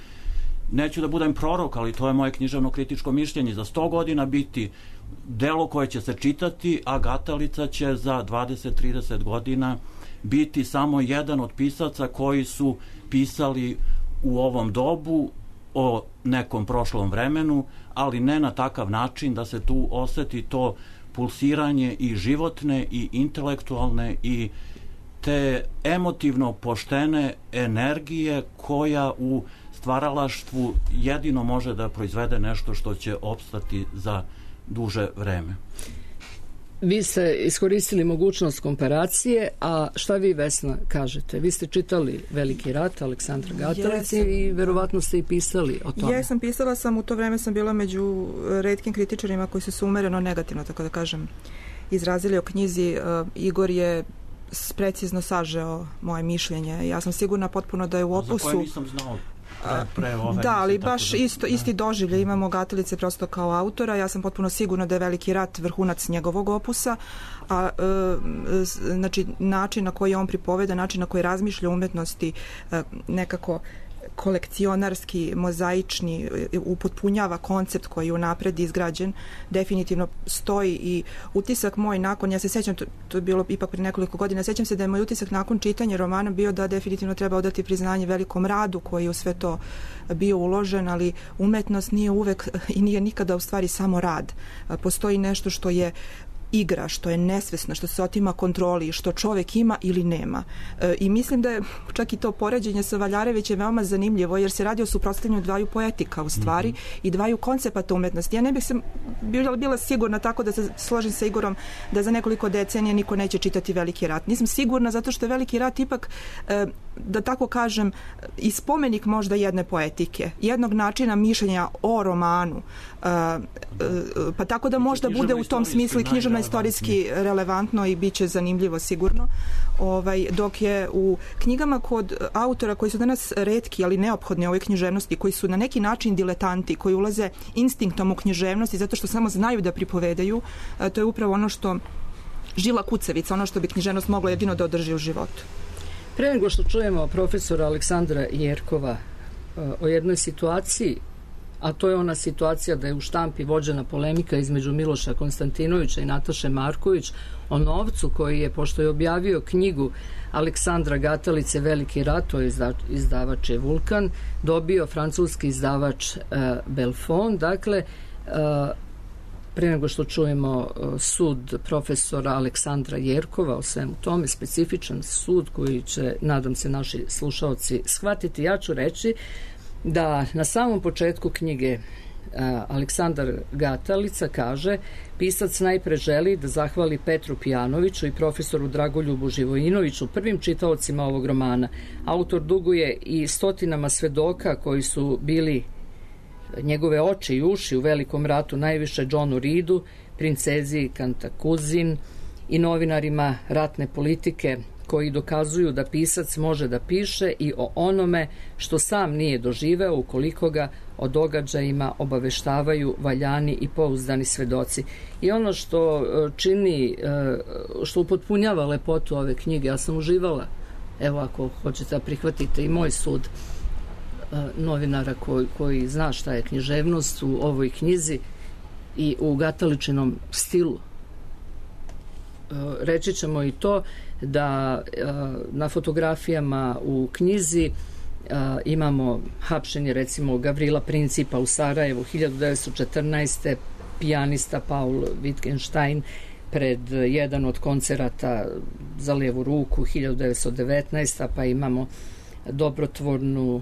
neću da budem prorok, ali to je moje književno kritičko mišljenje, za sto godina biti delo koje će se čitati, a Gatalica će za dvadeset do trideset godina biti samo jedan od pisaca koji su pisali u ovom dobu o nekom prošlom vremenu, ali ne na takav način da se tu oseti to pulsiranje i životne i intelektualne i te emotivno poštene energije koja u stvaralaštvu jedino može da proizvede nešto što će opstati za duže vreme. Vi ste iskoristili mogućnost komparacije, a šta vi, Vesna, kažete? Vi ste čitali Veliki rat Aleksandra Gatalice i verovatno ste i pisali o tome. Jesam, pisala sam, u to vreme sam bila među retkim kritičarima koji su se umereno negativno, tako da kažem, izrazili o knjizi. Igor je precizno sažeo moje mišljenje. Ja sam sigurna potpuno da je u opusu... Za koje nisam znao pre, pre ove... Da, ali mislim, baš da, isto, isti doživlje imamo Gatalice prosto kao autora. Ja sam potpuno sigurna da je Veliki rat vrhunac njegovog opusa, a e, znači način na koji on pripoveda, način na koji razmišlja umetnosti e, nekako kolekcionarski, mozaični, upotpunjava koncept koji je unapred izgrađen, definitivno stoji i utisak moj nakon, ja se sećam, to, to je bilo ipak pre nekoliko godina, sećam se da je moj utisak nakon čitanja romana bio da definitivno treba odati priznanje velikom radu koji je u sve to bio uložen, ali umetnost nije uvek i nije nikada u stvari samo rad. Postoji nešto što je igra, što je nesvesna, što se otima kontroli, što čovek ima ili nema. E, I mislim da je čak i to poređenje sa Valjarevićem veoma zanimljivo, jer se radi o suprotstavljanju dvaju poetika u stvari mm-hmm. i dvaju koncepata umetnosti. Ja ne bih se bila, bila sigurna tako da se složim sa Igorom da za nekoliko decenija niko neće čitati Veliki rat. Nisam sigurna zato što je Veliki rat ipak, e, da tako kažem, i spomenik možda jedne poetike, jednog načina mišljenja o romanu, e, e, pa tako da možda bude u tom smislu i književno istorijski relevantno i bit će zanimljivo sigurno. Ovaj, dok je u knjigama kod autora koji su danas retki, ali neophodni u ovoj književnosti, koji su na neki način diletanti, koji ulaze instinktom u književnosti zato što samo znaju da pripovedaju, to je upravo ono što žila kucavica, ono što bi književnost mogla jedino da održi u životu. Pre nego što čujemo profesora Aleksandra Jerkova o jednoj situaciji, a to je ona situacija da je u štampi vođena polemika između Miloša Konstantinovića i Nataše Marković o novcu koji je, pošto je objavio knjigu Aleksandra Gatalice Veliki rat, to je izdavač je Vulkan, dobio francuski izdavač uh, Belfond. Dakle, uh, pre nego što čujemo uh, sud profesora Aleksandra Jerkova o svemu tome, specifičan sud koji će, nadam se, naši slušaoci shvatiti, ja ću reći da na samom početku knjige a, Aleksandar Gatalica kaže: pisac najpre želi da zahvali Petru Pijanoviću i profesoru Dragoljubu Živojinoviću, prvim čitaocima ovog romana. Autor duguje i stotinama svedoka koji su bili njegove oči i uši u Velikom ratu, najviše Johnu Reedu, princezi Kantakuzin i novinarima ratne politike, koji dokazuju da pisac može da piše i o onome što sam nije doživeo ukoliko ga o događajima obaveštavaju valjani i pouzdani svedoci. I ono što čini, što upotpunjava lepotu ove knjige, ja sam uživala, evo ako hoćete da prihvatite i moj sud novinara koji, koji zna šta je književnost u ovoj knjizi i u Gataličinom stilu. Reći ćemo i to da na fotografijama u knjizi imamo hapšenje recimo Gavrila Principa u Sarajevu hiljadu devetsto četrnaeste. pijanista Paul Wittgenstein pred jedan od koncerata za lijevu ruku hiljadu devetsto devetnaeste. pa imamo dobrotvornu,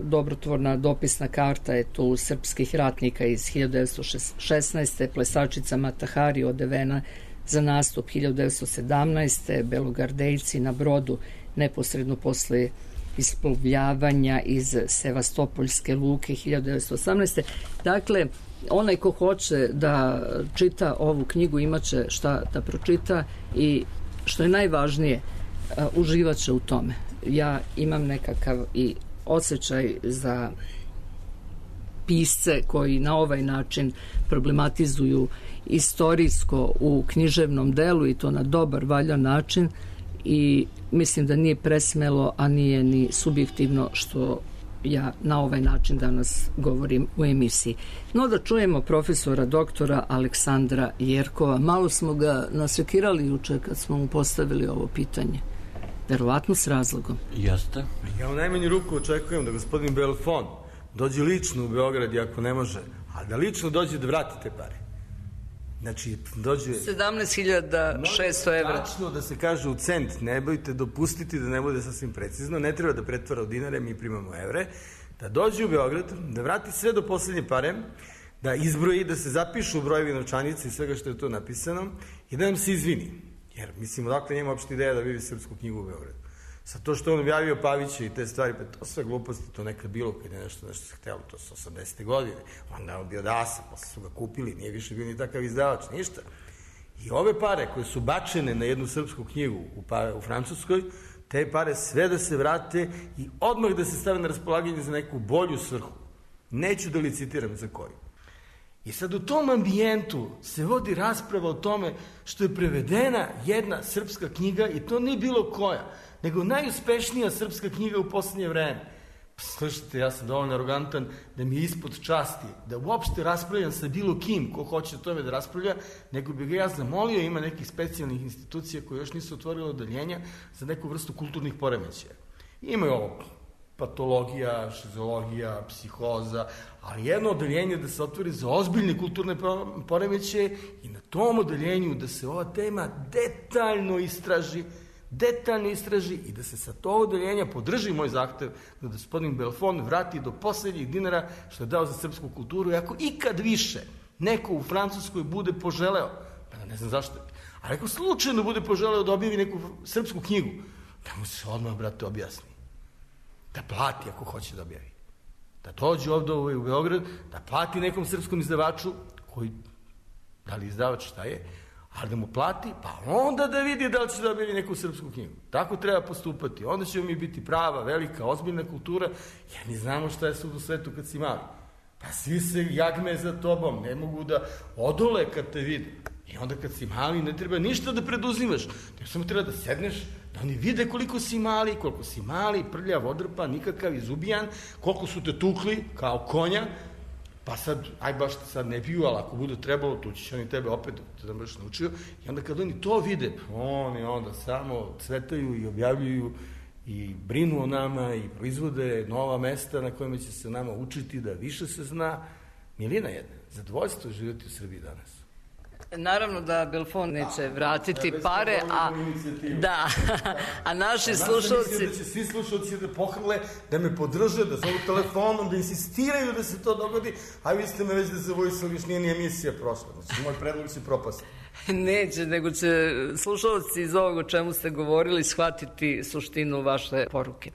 dobrotvorna dopisna karta je tu srpskih ratnika iz hiljadu devetsto šesnaeste. plesačica Matahari odevena za nastup hiljadu devetsto sedamnaeste. Belogardejci na brodu neposredno posle isplovljavanja iz Sevastopoljske luke hiljadu devetsto osamnaeste. Dakle, onaj ko hoće da čita ovu knjigu imaće šta da pročita i što je najvažnije, uživaće u tome. Ja imam nekakav i osjećaj za pisce koji na ovaj način problematizuju istorijsko u književnom delu i to na dobar, valjan način, i mislim da nije presmelo, a nije ni subjektivno što ja na ovaj način danas govorim u emisiji. No da čujemo profesora doktora Aleksandra Jerkova. Malo smo ga nasekirali juče kad smo mu postavili ovo pitanje. Verovatno s razlogom. Jeste. Ja u najmanju ruku očekujem da gospodin Belfond dođe lično u Beograd i ako ne može, a da lično dođe da vrati te pare. Znači, dođe... sedamnaest hiljada šesto evra. Tačno da se kaže u cent, ne bojte dopustiti da ne bude sasvim precizno, ne treba da pretvara u dinare, mi primamo evre, da dođe u Beograd, da vrati sve do poslednje pare, da izbroji, da se zapišu brojevi novčanice i svega što je to napisano i da nam se izvini. Jer, mislim, odakle njema uopšte ideja da vidi srpsku knjigu u Beogradu. Sa to što on objavio Pavića i te stvari, pa to sve gluposti, to nekad bilo kad je nešto, nešto se htelo, to su osamdesete godine. Onda je on bio dasa, posle su ga kupili, nije više bio ni takav izdavač, ništa. I ove pare koje su bačene na jednu srpsku knjigu u, pa, u Francuskoj, te pare sve da se vrate i odmah da se stave na raspolaganje za neku bolju svrhu. Neću da licitiram za koju. I sad u tom ambijentu se vodi rasprava o tome što je prevedena jedna srpska knjiga i to nije bilo koja, nego najuspešnija srpska knjiga u poslednje vreme. Slušajte, ja sam dovoljno arogantan da mi je ispod časti, da uopšte raspravljam sa bilo kim ko hoće o tome da raspravlja, nego bi ga ja zamolio, ima nekih specijalnih institucija koje još nisu otvorile odeljenja za neku vrstu kulturnih poremećaja. Ima ovo patologija, šizologija, psihoza, ali jedno odeljenje da se otvori za ozbiljne kulturne poremećaje i na tom odeljenju da se ova tema detaljno istraži, detaljno istraži i da se sa to odeljenja podrži moj zahtev da gospodin Belfond vrati do poslednjih dinara što je dao za srpsku kulturu i ako ikad više neko u Francuskoj bude poželeo, pa ne znam zašto, ali ako slučajno bude poželeo da objavi neku srpsku knjigu, da mu se odmah, brate, objasni. Da plati ako hoće da objavi. Da dođe ovde u Beograd, da plati nekom srpskom izdavaču, koji, da li izdavač šta je, ali da mu plati, pa onda da vidi da li će da objavi neku srpsku knjigu. Tako treba postupati. Onda ćemo mi biti prava, velika, ozbiljna kultura, jer mi znamo šta je sud u svetu kad si mali. Pa svi se jagme za tobom, ne mogu da odole kad te vide. I onda kad si mali ne treba ništa da preduzimaš, nego samo treba da sedneš, da oni vide koliko si mali, koliko si mali, prljav, odrpan, nikakav, izubijan, koliko su te tukli kao konja, pa sad, aj baš te sad ne piju, ali ako bude trebalo, tu ćeš oni tebe opet da baš naučio. I onda kad oni to vide, oni onda samo cvetaju i objavljuju i brinu o nama i proizvode nova mesta na kojima će se nama učiti da više se zna. Milina jedna, zadovoljstvo živjeti u Srbiji danas. Naravno da Belfond neće vratiti pare, a da, a naši slušalci... Mislim da će svi slušalci da pohrle, da me podrže, da zovu telefonom, da insistiraju da se to dogodi, a vi ste me već da zavojsali, još nije ni emisija prošla. Znači, moj predlog će propasti. Neće, nego će slušalci iz ovog o čemu ste govorili shvatiti suštinu vaše poruke.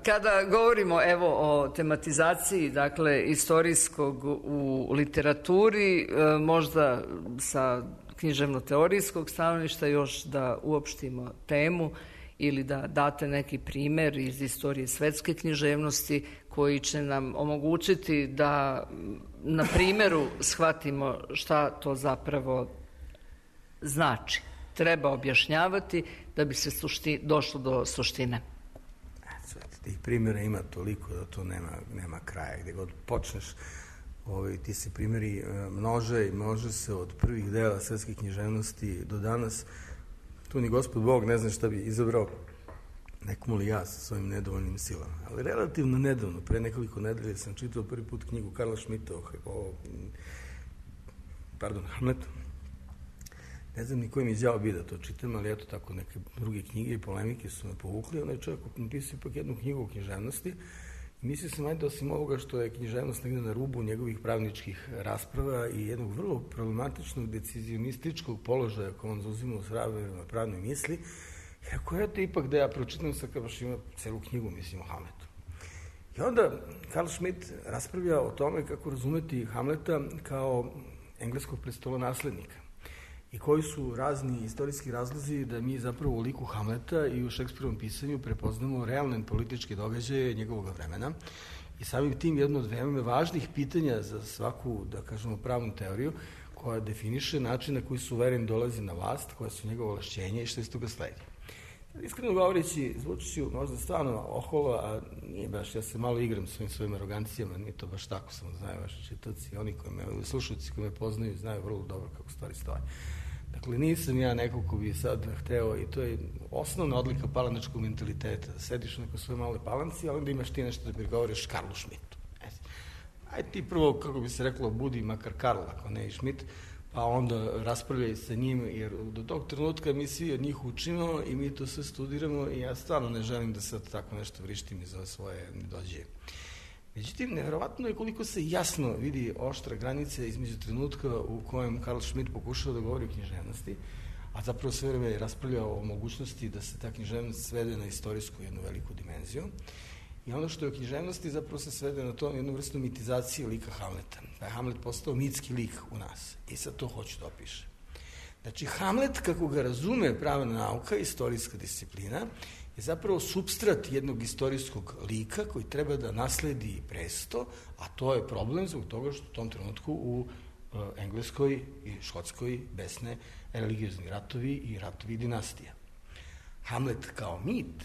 Kada govorimo evo o tematizaciji, dakle, istorijskog u literaturi, možda sa književno-teorijskog stanovišta još da uopštimo temu ili da date neki primer iz istorije svetske književnosti koji će nam omogućiti da na primeru shvatimo šta to zapravo znači. Treba objašnjavati da bi se sušti, došlo do suštine. Tih primjera ima toliko da to nema, nema kraja. Gde god počneš, ovaj, ti se primjeri množe i množe se od prvih dela svetske književnosti do danas. Tu ni gospod Bog ne zna šta bi izabrao, nekomu li ja sa svojim nedovoljnim silama. Ali relativno nedavno, pre nekoliko nedelje sam čitao prvi put knjigu Karla Šmita o, o pardon, Hamletu. Ne znam ni koji mi izjao bi da to čitam, ali eto tako neke druge knjige i polemike su me povukli. Onaj čovjek napisao ipak jednu knjigu o književnosti i mislio sam ajde osim ovoga što je književnost negde na rubu njegovih pravničkih rasprava i jednog vrlo problematičnog decizionističkog položaja koji on zauzima u sravima pravnoj misli. I ako eto ipak da ja pročitam sa kao baš ima celu knjigu, mislim, o Hamletu. I onda Karl Schmitt raspravlja o tome kako razumeti Hamleta kao engleskog prestolonaslednika i koji su razni istorijski razlozi da mi zapravo u liku Hamleta i u Šekspirovom pisanju prepoznamo realne političke događaje njegovog vremena i samim tim jedno od veoma važnih pitanja za svaku, da kažemo, pravnu teoriju koja definiše način na koji suveren dolazi na vlast, koja su njegove ovlašćenja i što iz toga sledi. Iskreno govoreći, zvučiću možda stvarno oholo, a nije baš, ja se malo igram s ovim svojim arogancijama, nije to baš tako, samo znaju vaši čitaci, oni koji me, slušalci koji me poznaju, znaju vrlo dobro kako stvari stoje. Dakle, nisam ja neko ko bi sad hteo, i to je osnovna odlika palanačkog mentaliteta, da sediš u nekoj svojoj maloj palanci, ali onda imaš ti nešto da prigovoriš Karlu Šmitu. Aj ti prvo, kako bi se reklo, budi makar Karl, ako ne i Šmit, pa onda raspravljaju sa njim, jer do tog trenutka mi svi od njih učimo i mi to sve studiramo i ja stvarno ne želim da sad tako nešto vrištim iz ove svoje nedođe. Međutim, nevjerovatno je koliko se jasno vidi oštra granica između trenutka u kojem Karl Schmitt pokušao da govori o književnosti, a zapravo sve vreme je raspravljao o mogućnosti da se ta književnost svede na istorijsku jednu veliku dimenziju. I ono što je u književnosti zapravo se svede na to jednu vrstu mitizacije lika Hamleta. Da je Hamlet postao mitski lik u nas. I sad to hoću da opišem. Znači, Hamlet, kako ga razume pravna nauka, istorijska disciplina, je zapravo supstrat jednog istorijskog lika koji treba da nasledi presto, a to je problem zbog toga što u tom trenutku u uh, Engleskoj i Škotskoj besne religiozni ratovi i ratovi dinastija. Hamlet kao mit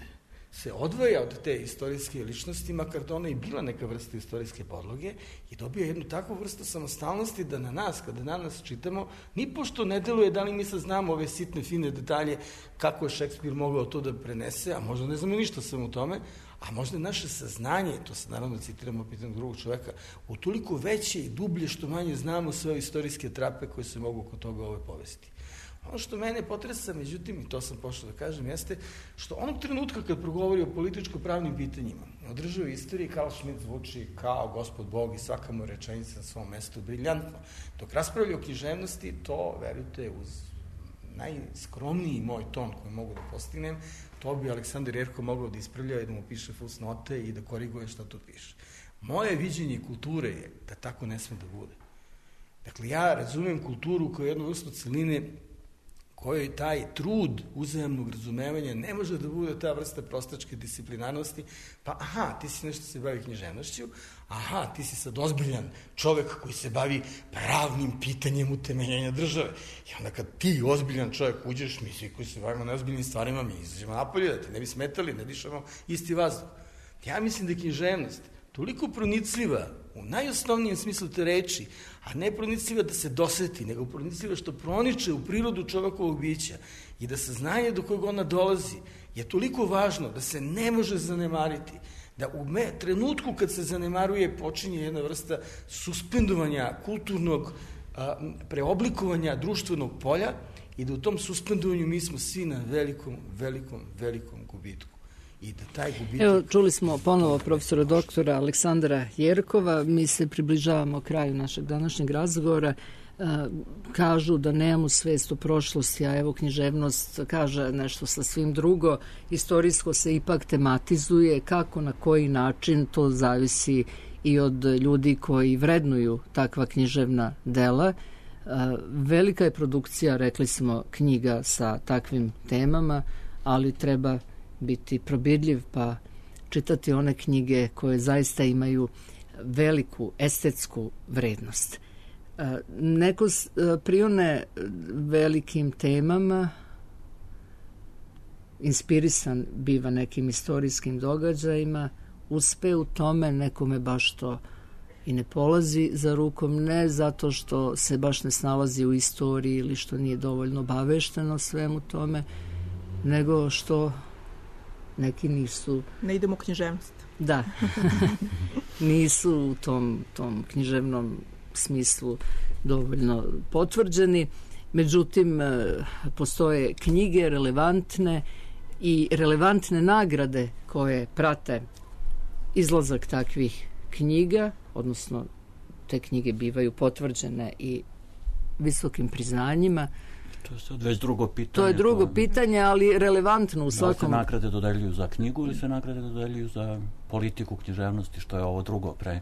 se odvaja od te istorijske ličnosti, makar da ona i bila neka vrsta istorijske podloge, i dobija jednu takvu vrstu samostalnosti da na nas, kada na nas čitamo, ni pošto ne deluje da li mi sad znamo ove sitne, fine detalje kako je Šekspir mogao to da prenese, a možda ne znamo ništa sam u tome, a možda naše saznanje, to se naravno citiramo pitanjem drugog čoveka, utoliko veće i dublje što manje znamo sve istorijske trape koje se mogu oko toga ove povesti. Ono što mene potresa, međutim, i to sam pošao da kažem, jeste što onog trenutka kad progovori o političko-pravnim pitanjima, održava istoriji, Karl Schmitt zvuči kao gospod Bog i svaka mu rečenica na svom mestu briljantno. Dok raspravlja o književnosti, to, verujte, uz najskromniji moj ton koji mogu da postignem, to bi Aleksandar Jerko mogao da ispravlja i da mu piše fusnote i da koriguje šta tu piše. Moje viđenje kulture je da tako ne sme da bude. Dakle, ja razumem kulturu kao jednu vrstu celine kojoj taj trud uzajamnog razumevanja ne može da bude ta vrsta prostačke disciplinarnosti, pa aha, ti si nešto se bavi književnošću, aha, ti si sad ozbiljan čovek koji se bavi pravnim pitanjem utemeljenja države. I onda kad ti ozbiljan čovek uđeš, mi svi koji se bavimo neozbiljnim stvarima, mi izađemo napolje, da te ne bi smetali, ne dišemo isti vazduh. Ja mislim da je književnost toliko pronicljiva u najosnovnijem smislu te reči, a ne pronicljiva da se doseti, nego pronicljiva što proniče u prirodu čovekovog bića i da saznanje do kojeg ona dolazi je toliko važno da se ne može zanemariti, da u me, trenutku kad se zanemaruje počinje jedna vrsta suspendovanja kulturnog a, preoblikovanja društvenog polja i da u tom suspendovanju mi smo svi na velikom, velikom, velikom gubitku. I da taj gubitak... Evo, čuli smo ponovo profesora doktora Aleksandra Jerkova, mi se približavamo kraju našeg današnjeg razgovora. E, kažu da nemamo svest o prošlosti, a evo književnost kaže nešto sasvim drugo. Istorijsko se ipak tematizuje, kako, na koji način, to zavisi i od ljudi koji vrednuju takva književna dela. E, velika je produkcija, rekli smo, knjiga sa takvim temama, ali treba biti probirljiv pa čitati one knjige koje zaista imaju veliku estetsku vrednost. Neko prione velikim temama, inspirisan biva nekim istorijskim događajima, uspe u tome, nekome baš to i ne polazi za rukom, ne zato što se baš ne snalazi u istoriji ili što nije dovoljno obavešteno svemu tome, nego što neki nisu... Ne idemo u književnost. Da. Nisu u tom, tom književnom smislu dovoljno potvrđeni. Međutim, postoje knjige relevantne i relevantne nagrade koje prate izlazak takvih knjiga, odnosno te knjige bivaju potvrđene i visokim priznanjima. To je sad već drugo pitanje. To je drugo to... pitanje, ali relevantno u svakom... Da li se nagrade dodeljuju za knjigu ili se nagrade dodeljuju za politiku književnosti, što je ovo drugo pre...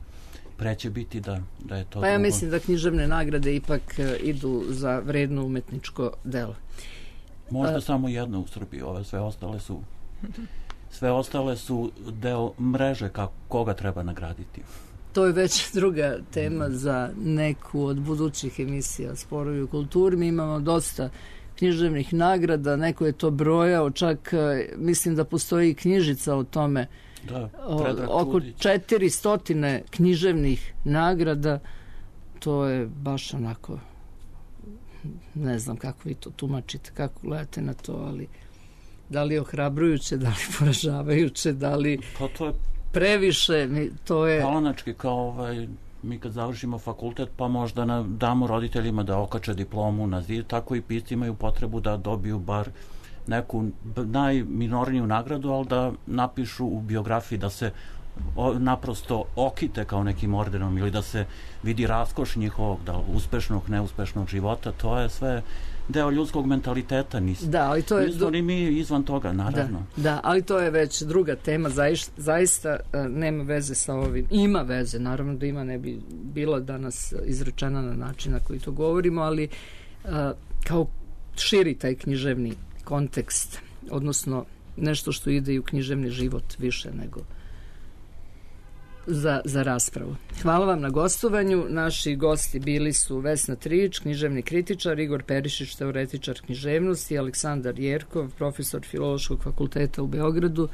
Preće biti da, da je to... Pa ja drugo... mislim da književne nagrade ipak idu za vredno umetničko delo. Možda A... samo jedno u Srbiji, ove sve ostale su... Sve ostale su deo mreže kako, koga treba nagraditi. To je već druga tema za neku od budućih emisija Sporovi u kulturi. Mi imamo dosta književnih nagrada, neko je to brojao, čak mislim da postoji i knjižica o tome. Da, o, oko četiri stotine književnih nagrada. To je baš onako, ne znam kako vi to tumačite, kako gledate na to, ali da li je ohrabrujuće, da li poražavajuće, da li... Pa to je previše, to je... Palanački, kao ovaj, mi kad završimo fakultet, pa možda na, damo roditeljima da okače diplomu na zid, tako i pisci imaju potrebu da dobiju bar neku najminorniju nagradu, ali da napišu u biografiji da se o, naprosto okite kao nekim ordenom ili da se vidi raskoš njihovog, da uspešnog, neuspešnog života, to je sve deo ljudskog mentaliteta, nismo. Da, ali to je... Nismo ni mi izvan toga, naravno. Da, da, ali to je već druga tema, zaista, zaista nema veze sa ovim. Ima veze, naravno da ima, ne bi bila danas izrečena na način na koji to govorimo, ali kao širi taj književni kontekst, odnosno nešto što ide i u književni život više nego za, za raspravu. Hvala vam na gostovanju. Naši gosti bili su Vesna Trijić, književni kritičar, Igor Perišić, teoretičar književnosti, Aleksandar Jerkov, profesor Filološkog fakulteta u Beogradu.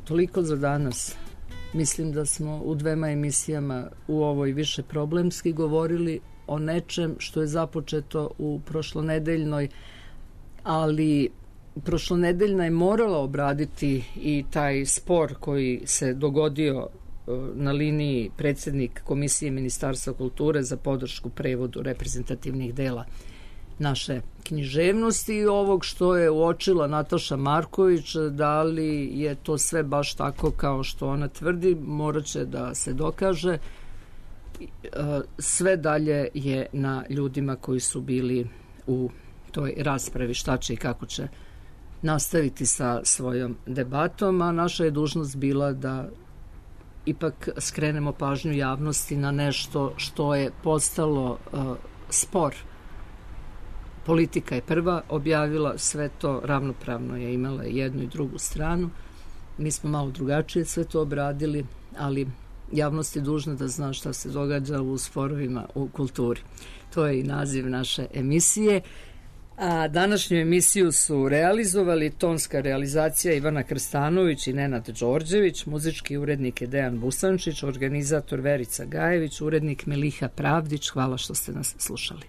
Toliko za danas. Mislim da smo u dvema emisijama u ovoj više problemski govorili o nečem što je započeto u prošlonedeljnoj, ali prošlonedeljna je morala obraditi i taj spor koji se dogodio na liniji predsjednik Komisije Ministarstva kulture za podršku prevodu reprezentativnih dela naše književnosti i ovog što je uočila Nataša Marković, da li je to sve baš tako kao što ona tvrdi, morat će da se dokaže. Sve dalje je na ljudima koji su bili u toj raspravi šta će i kako će nastaviti sa svojom debatom, a naša je dužnost bila da ipak skrenemo pažnju javnosti na nešto što je postalo uh, spor. Politika je prva objavila sve to, ravnopravno je imala jednu i drugu stranu. Mi smo malo drugačije sve to obradili, ali javnost je dužna da zna šta se događa u sporovima u kulturi. To je i naziv naše emisije. A današnju emisiju su realizovali tonska realizacija Ivana Krstanović i Nenad Đorđević, muzički urednik je Dejan Busančić, organizator Verica Gajević, urednik Miliha Pravdić. Hvala što ste nas slušali.